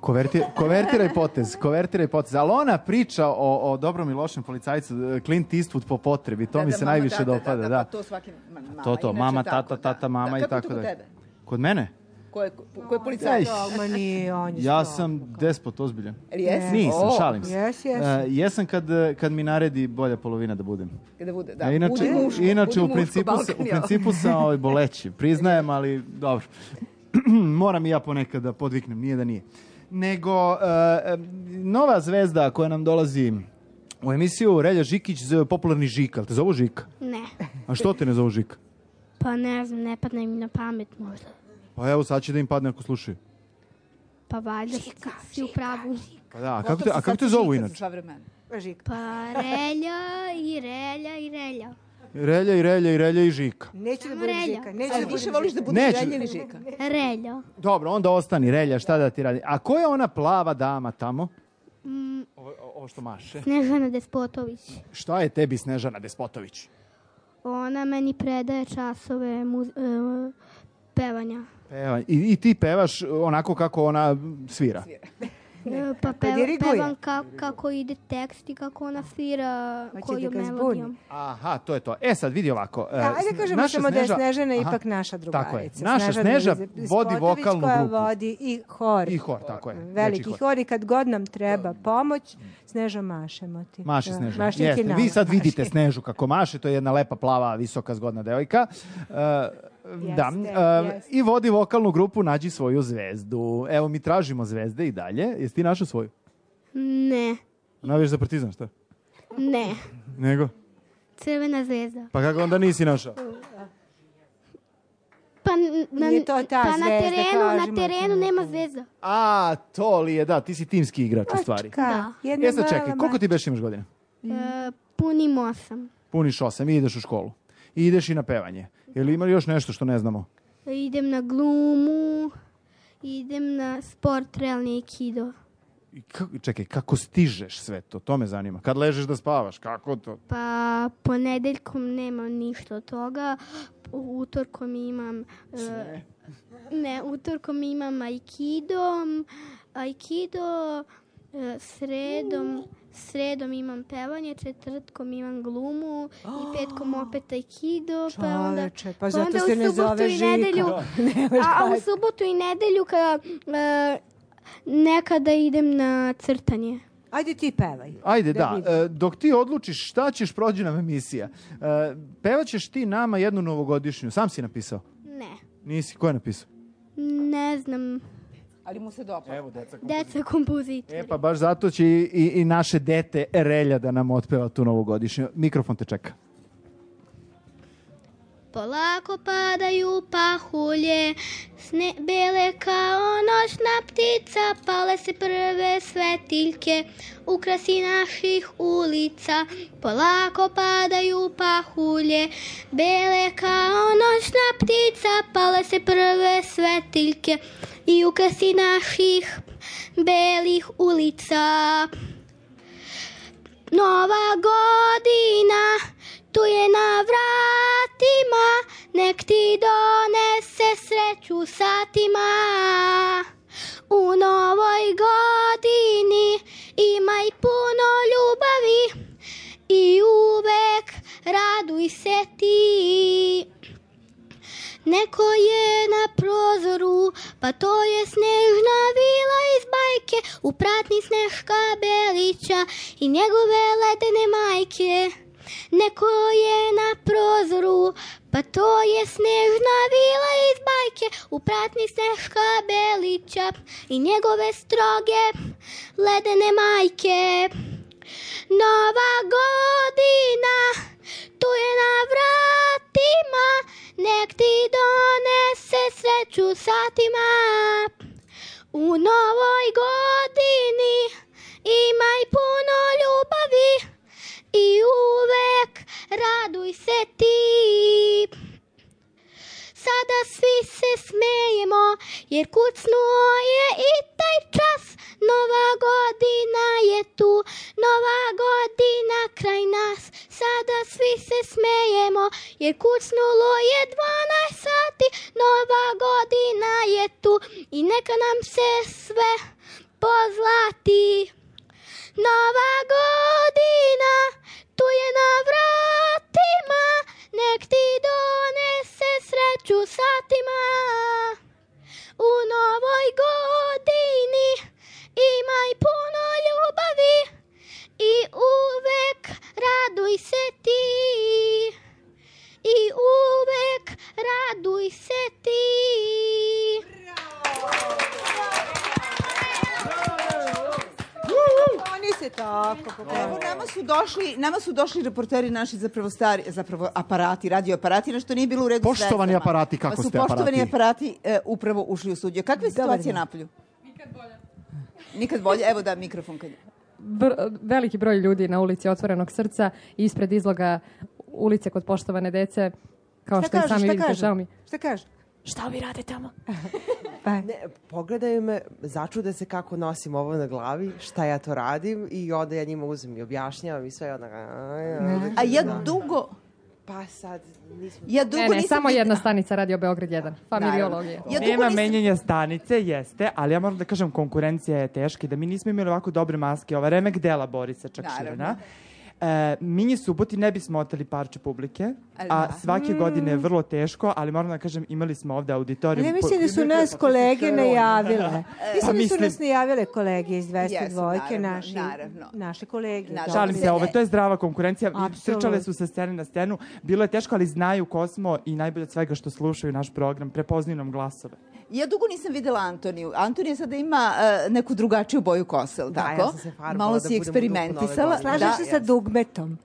Koverti, kovertiraj potez, kovertiraj potez. Ali ona priča o, o dobrom i lošem policajcu, Clint Eastwood po potrebi, to da, mi da, se mama, najviše tata, dopada. Da, da. Pa to svaki mama. To, to, mama, tako, tata, tata, mama da. i tako da. Kako je to kod tebe? Kod mene? Ko je, ko je policajac? Ma nije, on je Ja strog. sam despot ozbiljan. Jesi? Nisam, O, šalim se. Jes, jes. E, jesam kad, kad mi naredi bolja polovina da budem. Kada bude, da, A inače, budi muško, inače budi u principu, muško, sa- u Balkan, jel? principu sam ovaj, boleći. Priznajem, ali dobro. Moram i ja ponekad da podviknem, nije da nije. Nego, e, e, nova zvezda koja nam dolazi u emisiju, Relja Žikić, zove popularni Žika. Jel te zovu Žika? Ne. A što te ne zovu Žika? Pa ne znam, ne padne mi na pamet možda. Pa evo, sad će da im padne ako slušaju. Pa valjda si u pravu. Pa da, a kako te, a kako te zovu inače? Pa relja i relja i relja. Relja i Relja i Relja i Žika. Neću da Samo budem relja. Žika. Neću A da više budem voliš da Žika. budeš Neću. relja ili žika? Relja. Dobro, onda ostani Relja, šta da ti radi? A ko je ona plava dama tamo? Mm, Ovo, ovo što maše. Snežana Despotović. Šta je tebi Snežana Despotović? Ona meni predaje časove muz, e, pevanja. Peva. I, I ti pevaš onako kako ona svira. E, pa Pa peva, diriguje. pevam ka, kako ide tekst i kako ona svira Hoće koju da ga zbuni. melodijom. Aha, to je to. E sad, vidi ovako. e, Da, ajde kažemo naša samo da je Sneža- Snežana Aha, ipak naša drugarica. Tako je. Naša Snežana Sneža Despotović vodi vokalnu koja grupu. vodi i hor. I hor, tako je. Veliki Veći hor. hor i kad god nam treba pomoć, Sneža mašemo ti. Maše Da, Sneža. maši ti Jeste, nama, vi sad maši. vidite Snežu kako maše, to je jedna lepa, plava, visoka, zgodna devojka. E, da, e, jeste. i vodi vokalnu grupu Nađi svoju zvezdu. Evo, mi tražimo zvezde i dalje. Jesi ti našao svoju? Ne, Navijaš za Partizan, šta? ne. Nego? Crvena zvezda. Pa kako onda nisi našao? Pa, n- na, Nije to ta pa na zvezda, terenu, na kažemo ti. terenu nema zvezda. A, to li je, da, ti si timski igrač u stvari. Da. Jedna E sad mala čekaj, koliko ti beš imaš godina? E, punim osam. Puniš osam i ideš u školu. I ideš i na pevanje. Je li ima još nešto što ne znamo? Idem na glumu, idem na sport, realni aikido. I kako, čekaj, kako stižeš sve to? To me zanima. Kad ležeš da spavaš, kako to? Pa ponedeljkom nemam ništa od toga, utorkom imam... e, ne, utorkom imam aikido, aikido, e, sredom, sredom imam pevanje, četvrtkom imam glumu i petkom opet aikido, pa onda, Čoveče, pa pa zato onda se u ne subotu zove i Žika. nedelju, Nemaš a, a u kaj. subotu i nedelju kada e, nekada idem na crtanje. Ajde ti pevaj. Ajde, Da da. vidim. e, dok ti odlučiš šta ćeš, prođe nam emisija. E, pevaćeš ti nama jednu novogodišnju. Sam si napisao? Ne, Nisi? Ko je napisao? ne znam, Ali mu se dopada. Evo, deca. deca kompozitori. E pa baš zato će i, i, i naše dete Relja da nam otpeva tu novogodišnju. Mikrofon te čeka. Polako padaju pahulje, sne bele kao noćna ptica, pale se prve svetiljke, ukrasi naših ulica. Polako padaju pahulje, bele kao noćna ptica, pale se prve svetiljke i ukrasi naših belih ulica. Nova godina, tu je na vratima, nek ti donese sreću satima. U novoj godini imaj puno ljubavi i uvek raduj se ti. Neko je na prozoru, pa to je Snežna vila iz bajke, u pratnji Sneška Belića i njegove ledene majke. Neko je na prozoru, pa to je Snežna vila iz bajke, u pratnji Sneška Belića i njegove stroge ledene majke. Nova godina, tu je na vratima, nek ti donese sreću satima. U novoj godini imaj puno ljubavi i uvek raduj se ti. Sada svi se smejemo, jer kucnuo je i taj čas. Nova godina je tu, nova godina kraj nas. Sada svi se smejemo, jer kucnulo je dvanaest sati. Nova godina je tu i neka nam se sve pozlati. Nova godina, tu je na vratima, nek ti donese sreću satima. U Evo, nama su došli, nama su došli reporteri naši zapravo stari, zapravo aparati, radio aparati, nešto nije bilo u redu s vezama. Poštovani aparati, kako Pa su ste aparati? poštovani aparati e, upravo ušli u studio. Kakva je situacija napolju? Nikad bolje. Nikad bolje. Evo da, mikrofon kad je. Br- veliki broj ljudi na ulici Otvorenog srca ispred izloga ulice kod poštovane dece, kao Šta što i kažu, sami šta vidite, kažu? žao mi. Šta kaže? Šta vi rade tamo? Ne, pogledaju me, začude se kako nosim ovo na glavi, šta ja to radim i onda ja njima uzem i objašnjavam i sve onda... A ja dugo... Pa sad nismo... Ja dugo ne, ne, nisam samo videla- jedna stanica Radio Beograd jedan. Familiologija. Ja dugo Nema nisam- menjanja stanice, jeste, ali ja moram da kažem, konkurencija je teška i da mi nismo imali ovako dobre maske. Ova remek dela Borisa Čakširina. E, Minji Suboti ne bismo oteli parče publike, a svake godine je vrlo teško, ali moram da kažem, imali smo ovde auditorijum. Ali ja mislim da su nas kolege najavile. Mislim da su mislim- nas najavile kolege iz dvesta dva, Jesu, naravno, naši, naravno. naše kolege. Šalim se, ovo, to je zdrava konkurencija. Apsolutno. Trčale su sa scene na scenu. Bilo je teško, ali znaju ko smo i najbolje od svega što slušaju naš program. Prepoznaju nam glasove. Ja dugo nisam videla Antoniju. Antonija sada ima uh, neku drugačiju boju kose, ili Da, tako? ja sam se farbala Malo da si budem u eksperimentisala. duhu nove godine. Slažeš se sa dugmetom?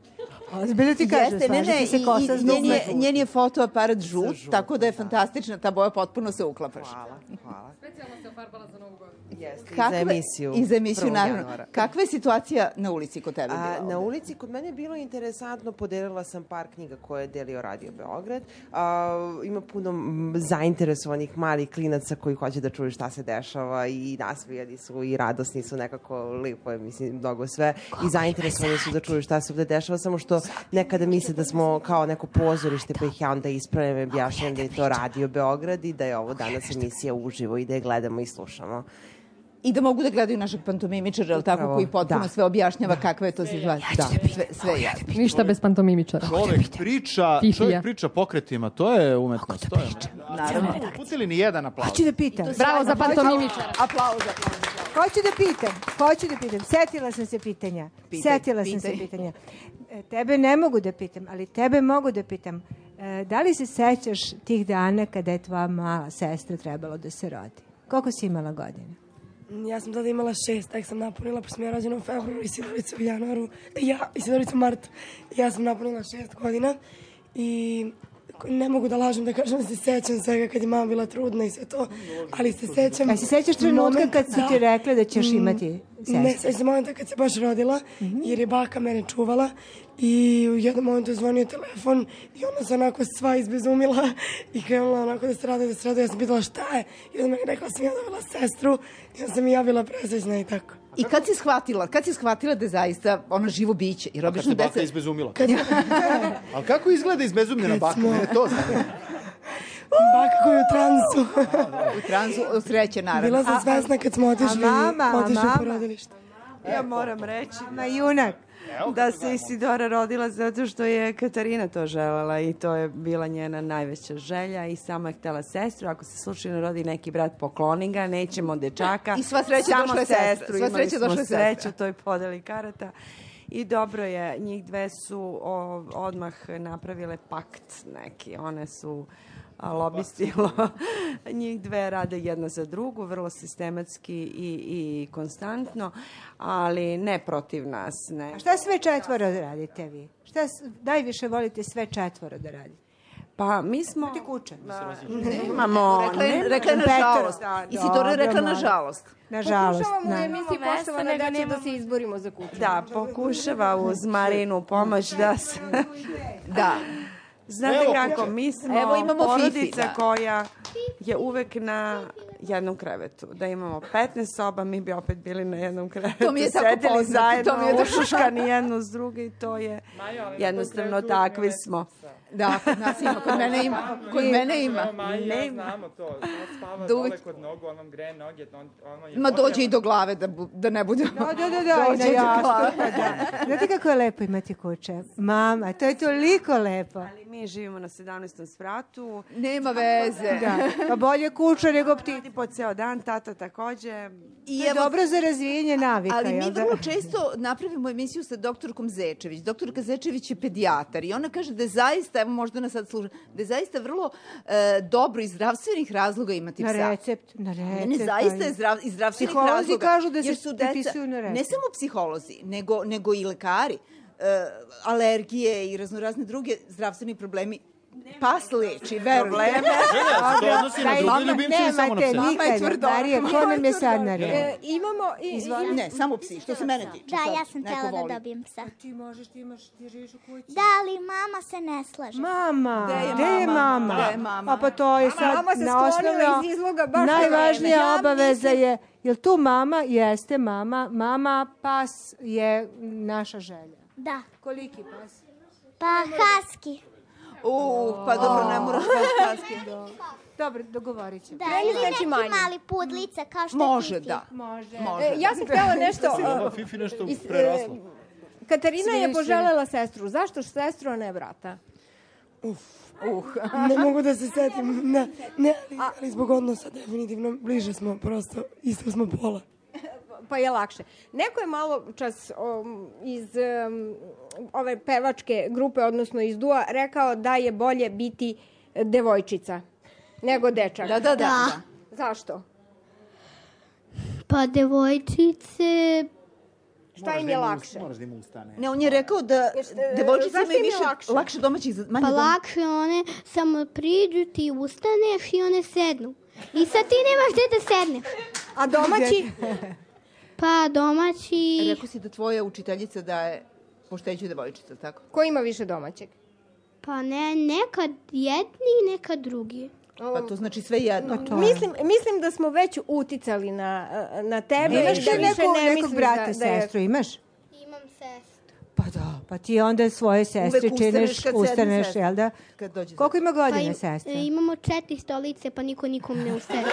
Ozbiljno ti kažem, Jeste, ne, slažeš ne, ti se i- kosa s i njen je, dugmetom. njen je fotoaparat žut, tako da je fantastična, ta boja potpuno se uklapaš. Hvala, hvala. Specijalno se ofarbala za Novu godinu. Jeste, i Kakva- za emisiju. I za emisiju, prvog naravno. januara. Kakva je situacija na ulici kod tebe? A, bila na ovde? ulici kod mene je bilo interesantno, podelila sam par knjiga koje je delio Radio Beograd. A, ima puno m, zainteresovanih malih klinaca koji hoće da čuju šta se dešava i nasmijani su i radosni su, nekako lepo je, mislim, mnogo sve. I zainteresovani su da čuju šta se ovde dešava, samo što nekada misle da smo kao neko pozorište, pa ih ja onda ispravljam i objašnjam da je to Radio Beograd i da je ovo danas emisija uživo i da je gledamo i slušamo. I da mogu da gledaju našeg pantomimičara, jel tako, Upravo, koji potpuno da. sve objašnjava kakva je to situacija. Da, sve, sve je jasno. Ništa bez pantomimičara. Čovjek priča, Fifija. čovjek priča pokretima, to je umetnost. To je. Naravno. Uputili ni jedan aplauz. Hoću da pitam. Bravo za pantomimičara. Aplauz, aplauz. Hoću da pitam, hoću da pitam. Setila sam se pitanja. Pitaj, Setila sam se pitaj. pitanja. E, Tebe ne mogu da pitam, ali tebe mogu da pitam. E, Da li se sećaš tih dana kada je tvoja mala sestra trebalo da se rodi? Koliko si imala godina? Ja sam tada imala šest, tek sam napunila, pošto sam ja rođena u februaru i Sidorica u januaru, ja i Sidorica u martu. Ja sam napunila šest godina i ne mogu da lažem da kažem da se sećam svega kad je mama bila trudna i sve to, ali se sećam... A se sećaš trenutka momenta- kad su ti da. rekle da ćeš Mm, imati sestru? Ne, sećam se momenta kad se baš rodila, jer je baka mene čuvala i u jednom momentu je zvonio telefon i ona se onako sva izbezumila i krenula onako da se radi, da se radi. Ja sam pitala šta je i onda meni rekla da sam ja dobila sestru i onda sam i ja bila presrećna i tako. I kad si shvatila, kad si shvatila da je zaista ona živo biće? Jer Kad obično se baka deca... izbezumila. Ali kako izgleda izbezumljena Kad baka? smo- Mene to zanima. Baka koja je u transu. U transu, od sreće, naravno. Bila sam svesna kad smo otišli, a mama, a otišli u mama? porodilište. Ja moram reći Ma junak. da se Isidora rodila zato što je Katarina to želela i to je bila njena najveća želja i sama je htela sestru. Ako se slučajno rodi neki brat, pokloni ga, nećemo dečaka. I sva sreća samo došla je sestra. sestru. Sva Imali sreća smo došla je sestra. sreću, to je podeli karata. I dobro je, njih dve su o, odmah napravile pakt neki. One su a, lobisti, lo, njih dve rade jedna za drugu, vrlo sistematski i, i konstantno, ali ne protiv nas. Ne. A šta sve četvoro da radite vi? Šta s- najviše volite sve četvoro da radite? Pa mi smo... Ti kuće. Nemamo... Rekla je, nemamo- rekla je nažalost. Da, Isidora je rekla Dobro, nažalost. Nažalost. Pokušavamo u da. emisiji Nemamo Poštovana mesta, nego deca da nemamo- se izborimo za kuću. Da, pokušava uz Marinu pomoć da se... Da. Znate Evo kako, kuće. mi smo Evo imamo porodica Fifi, da. koja je uvek na jednom krevetu. Da imamo petnaest soba, mi bi opet bili na jednom krevetu. To mi je tako sedeli poznato, zajedno, to mi je tako- ušuškani jedno s druge i to je jednostavno takvi smo. Da, kod nas ima, kod mene ima. Kod mene ima. Ne ima. Znamo to. Ona spava Da uvek- dole kod nogu, on vam greje noge. On, ono je Ma dođe i do glave da, bu- da ne bude... Da, da, da, da, i na Dođe do glave. jastuk, pa da. Znate kako je lepo imati kuće? Mama, to je toliko lepo. Ali mi Mi živimo na sedamnaestom spratu. Nema veze. Da. Pa bolje kuća nego ptica. Radi po ceo dan, tata takođe. I to je dobro za razvijenje navika. Ali mi jel da? vrlo često napravimo emisiju sa doktorkom Zečević. Doktorka Zečević je pedijatar i ona kaže da je zaista, evo možda nas sad sluša, da je zaista vrlo e, dobro iz zdravstvenih razloga imati psa. Na recept, na recept. Ne, ne, zaista je zdrav, iz zdravstvenih Psiholozi razloga. kažu da se jer su deca, prepisuju na recept. ne samo psiholozi, nego, nego i lekari. E, alergije i raznorazne druge zdravstveni problemi. Pas leči, verujte. To odnosi na druge ljubimce ili samo na pse? Nemate nikada, Marija, ko nam je sad na redu? E, imamo... I, Izvoli. Ne, samo psi, što se mene tiče. Da, sad ja sam neko htjela voli. da dobijem psa. Ti možeš, ti imaš, ti živiš u kući. Da, ali mama se ne slaže. Mama, Gde je gde je mama? mama? Gde je mama? A pa to je sad Mama se na sklonila osnovno, iz izloga baš na najvažnija vreme. obaveza je, jel tu mama? Jeste mama. Mama, pas je naša želja. Da. Koliki pas? Pa husky. U, pa dobro, ne moraš paski. Dobro, dogovorit ćemo. Da, Kreni ili znači neki manje. mali pudlica kao što Može, je Fifi. da. Može. Može. E, ja sam htjela nešto... Ova Fifi nešto is- prerasla. e, Katarina je Sviše. poželjela sestru. Zašto sestru, a ne brata? Uh, ne mogu da se setim. Ne, ne, ali, ali zbog odnosa definitivno bliže smo, prosto isto smo pola. Pa je lakše. Neko je malo čas um, iz um, ove pevačke grupe, odnosno iz dua, rekao da je bolje biti devojčica nego dečak. Da, da, da. Da. Zašto? Pa devojčice... Šta im je lakše? Moraš da im ustane. Ne, on je rekao da Jeste- devojčice zašto imaju im je više, lakše? lakše domaćih, za- manje Pa dom- lakše one samo priđu, ti ustaneš i one sednu. I sad ti nemaš gde da sedneš. A domaći? Pa domaći... Rekao si da tvoja učiteljica da je pošteđu devojčica, tako? Ko ima više domaćeg? Pa ne, nekad jedni i nekad drugi. Pa to znači sve jedno. Mislim, mislim da smo već uticali na, na tebe. Imaš i ti da više nekog, ne nekog misliš brata, da, da je... sestru, imaš? Imam sestru. Pa da, pa ti onda svoje sestre Uvek ustaneš činiš, kad sedne ustaneš, sestra. jel da? Kad dođe Koliko ima Pa godina im- sestra? e, imamo četiri stolice, pa niko nikom ne ustaje.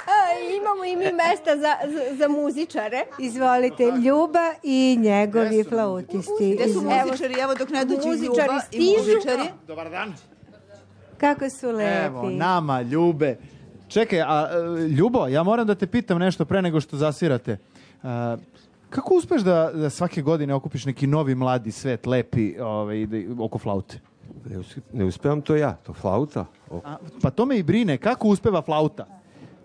A, imamo i mi mesta za, za, za muzičare. Izvolite, Ljuba i njegovi flautisti. Gde su Iz- muzičari? Evo dok ne dođu Muzičari Ljuba i stižu. muzičari. Dobar dan. Kako su lepi. Evo, nama, Ljube. Čekaj, a e, Ljubo, ja moram da te pitam nešto pre nego što zasvirate. A, kako uspeš da, da svake godine okupiš neki novi mladi svet, lepi, ovaj, da, oko flaute? Ne, us- ne uspevam to ja, to flauta. O, A, pa to me i brine, kako uspeva flauta?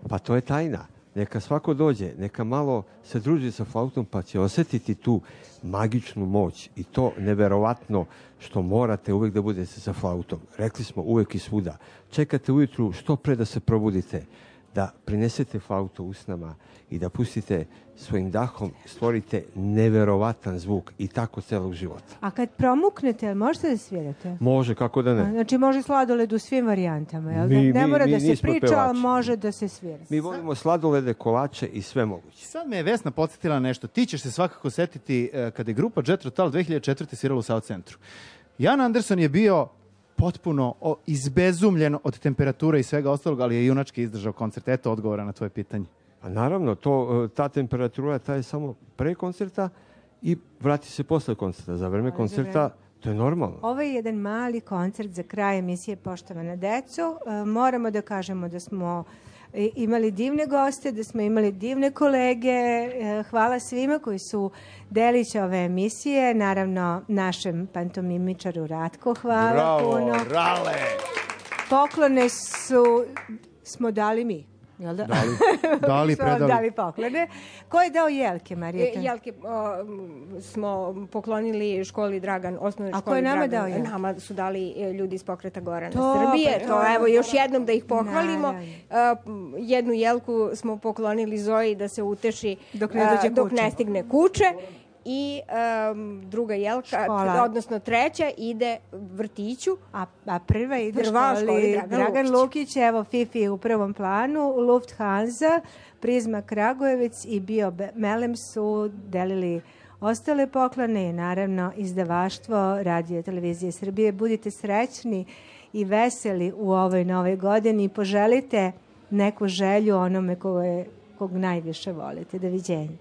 Pa to je tajna. Neka svako dođe, neka malo se druži sa flautom pa će osjetiti tu magičnu moć i to neverovatno što morate uvek da budete sa flautom. Rekli smo uvek i svuda. Čekate ujutru što pre da se probudite, da prinesete flautu usnama i da pustite svojim dahom, stvorite neverovatan zvuk i tako celog života. A kad promuknete, jel možete da svirate? Može, kako da ne. Znači može sladoled u svim varijantama, jel da? Mi- Ne mi- mora mi da se nismo priča, pevači. ali može da se svira. Mi volimo sladolede, kolače i sve moguće. Sad me je Vesna podsjetila na nešto. Ti ćeš se svakako setiti e, kada je grupa Jet Rotal dve hiljade četvrte svirala u South Centru. Jan Anderson je bio potpuno o, izbezumljen od temperature i svega ostalog, ali je junački izdržao koncert. Eto odgovora na tvoje pitanje. Pa naravno, to, ta temperatura ta je samo pre koncerta i vrati se posle koncerta. Za vreme koncerta to je normalno. Ovo je jedan mali koncert za kraj emisije Poštovana deco. E, moramo da kažemo da smo e, imali divne goste, da smo imali divne kolege. E, hvala svima koji su delić ove emisije. Naravno, našem pantomimičaru Ratko, hvala Bravo, puno. Rale! Poklone su, smo dali mi. Jel da? Dali, dali, Smo vam predali. dali poklone. Ko je dao jelke, Marijeta? E, Jelke o, m, smo poklonili školi Dragan, osnovnoj A školi ko je nama Dragan. dao jelke? Nama su dali e, ljudi iz pokreta Gorana To, Srbije. pa To, to. evo, još jednom da ih pohvalimo. Naravno. A, m, jednu jelku smo poklonili Zoji da se uteši Dok ne a, dođe dok kuće. ne stigne kuće. I um, druga jelka, Škola. odnosno treća, ide vrtiću. A, a prva ide Prva školi školi Dragan, Dragan Lukić. Lukić. Evo Fifi u prvom planu, Lufthansa, Prizma Kragujevac i Bio Be- Melem su delili ostale poklone i naravno izdavaštvo Radio Televizije Srbije. Budite srećni i veseli u ovoj nove godini i poželite neku želju onome koje, kog najviše volite. Doviđenja.